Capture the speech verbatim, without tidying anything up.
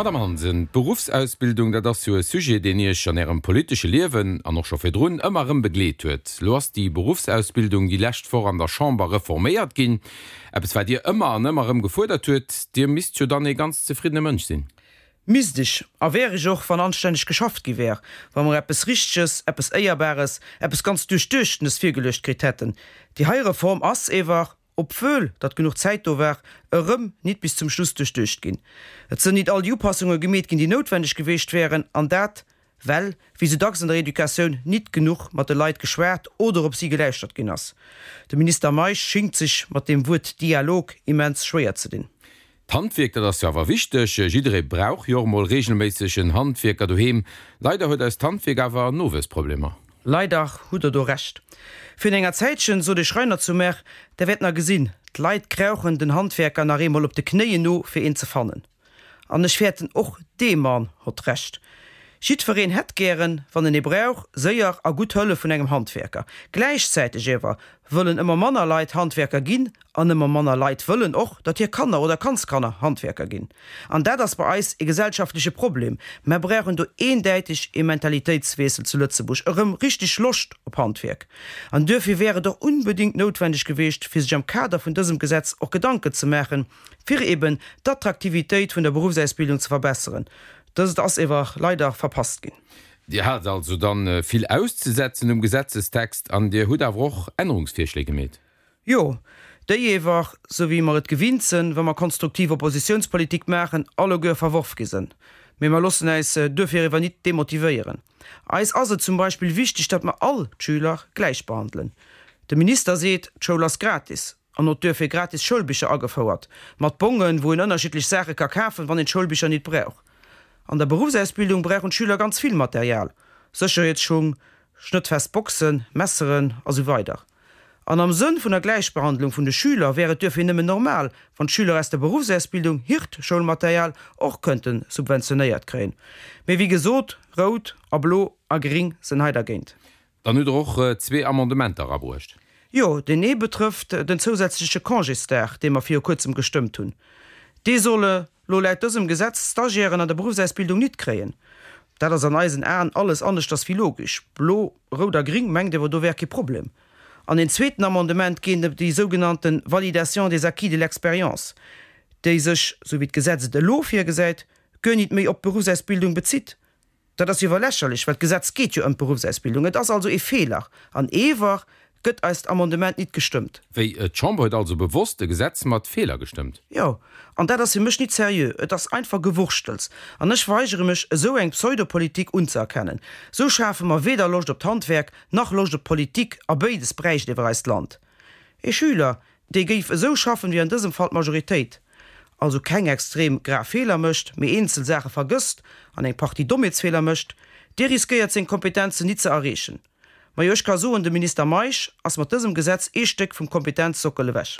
Madame Hansen, d'Beruffsausbildung, dat ass jo e Sujet, deen Iech an Ärem politesche Liewen an och scho virdrun ëmmer erëm begleet huet. Lo ass déi Beruffsausbildung déi lescht Woch an der Chamber reforméiert ginn. Eppes, wat Dir ëmmer an ëmmer erëm gefuerdert huet. Dir misst jo dann ee ganz zefriddene Mënsch sinn? Misst ech, a wär ech och, wann anstänneg geschafft gi wär, wa mer eppes Richteges, eppes Éierbares, eppes ganz Duerchduechtenes virgeluecht kritt hätten. Déi hei Reform ass ewer, obwuel datt genuch Zäit do war, erëm nit bis zum Schluss duerchduecht ginn. Et sënn nit all déi Upassunge gemeet ginn, déi noutwenneg geweecht wären, an dat, well, wéi sou dacks an der Educatioun, nit genuch mat de Leit geschwat oder op si geläuschtert ginn ass. De Minister Meisch schingt sech mat deem Wuert Dialog immens schwéier ze dinn. D'Handwierk, dat ass jo awer wichteg. Jidderee brauch jo och emol reegelméisseg en Handwierker doheem. Leider huet eist Handwierk awer Nowuessproblemer. Leider hutt Der do Recht. Virun enger Zäitchen sot e Schreiner zu mär, Der wäert nach gesinn, d'Leit krauchen den Handwerker nach eemol op de Knéien no, fir een ze fannen. An ech fäerten, och dee Mann hott Recht. Jiddwereen hätt gären, wann en ee brauch, séier a gutt Hëllef vun engem Handwerker. Gläichzäiteg ewer wëllen ëmmer manner Leit Handwerker ginn an ëmmer manner Leit wëllen och, datt hir Kanner oder Kandskanner Handwerker ginn. An dat ass bei eis e gesellschaftleche Problem. Mer brauchen do eendäiteg e Mentalitéitswiessel zu Lëtzebuerg, erëm richteg Loscht op Handwerk. An duerfir wär et och unbedéngt noutwendeg geweecht, fir sech am Kader vun dësem Gesetz och Gedanken ze maachen, fir eben d'Attraktivitéit vun der Beruffsausbildung ze verbesseren. Dëst ass ewer leider verpasst ginn. Dir hat also dann vill auszesetzen um Gesetzestext an Dir hutt awer och Ännerungsvirschléi gemeet. Jo, déi ewer, sou wéi mer et gewinnt sënn, wa mer konstruktiv Oppositiounspolitik maachen, alleguer verworf gi sënn. Mee mer loossen äis duerfir ewer nit demotivéieren. Eis ass et zum Beispill wichteg, datt mer all d'Schüler gläich behandelen. De Minister seet, d'Schoul ass gratis an huet duerfir gratis Schoulbicher agefouert, mat Bongen, wou een ënnerschiddlech Saache ka kafen, wann een d'Schoulbicher nit brauch. An der Beruffsausbildung brauchen d'Schüler ganz vill Material, Sécherheetsschung, schnëttfest Boxen, Messeren a sou weider. An am Sënn vun der Gläichbehandlung vun de Schüler wär et duerfir nëmmen normal, wann d'Schüler aus der Beruffsausbildung hirt Schoulmaterial och kënnte subventionéiert kréien. Mee wéi gesot, Rout a Blo a Gring sënn hei dergéint. Dann hutt Der och zwee Amendementer erabruecht. Jo, deen ee betrëfft den zousätzleche Congésdag, dee mer viru kuerzem gestëmmt hunn. Dee solle lo laut dësem Gesetz d'Stagiairen an der Beruffsausbildung nit kréien. Dat ass an eisen Aen alles aneschters wéi logesch. Blo, Rout a Gring mengt ewer, do wär kee Problem. An een zweeten Amendement geet ëm déi sougenannte Validation des acquis de l'expérience, déi sech, sou wéi d'Gesetz et elo virgesäit, guer nit méi op d'Beruffsausbildung bezitt. Dat ass jo awer lächerlech, well d'Gesetz geet jo ëm d'Beruffsausbildung. Et ass also ee Feeler. An ewer gëtt eist Amendement nit gestëmmt. Wéi, d'Chamber huet also bewosst e Gesetz mat Feeler gestëmmt? Jo, an dat ass fir mech nit seriö. Et ass einfach Gewurschtels. An ech weigere mech, esou eng Pseudopolitik unzëerkennen. Esou schafe mer weder Loscht op d'Handwerk, nach Loscht op d'Politik, a béides bräicht ewer eist Land. Ee Schüler, dee géif esou schaffen, wéi an dësem Fall d'Majoritéit, also keng extrem grav Feeler mécht, mee eenzel Saache vergësst an eng Partie Dommheetsfeeler mécht, dee riskéiert seng Kompetenzen nit ze erreechen. Majo, ech ka soen, de Minister Meisch ass mat dësem Gesetz ee Stéck vum Kompetenzsockel ewech.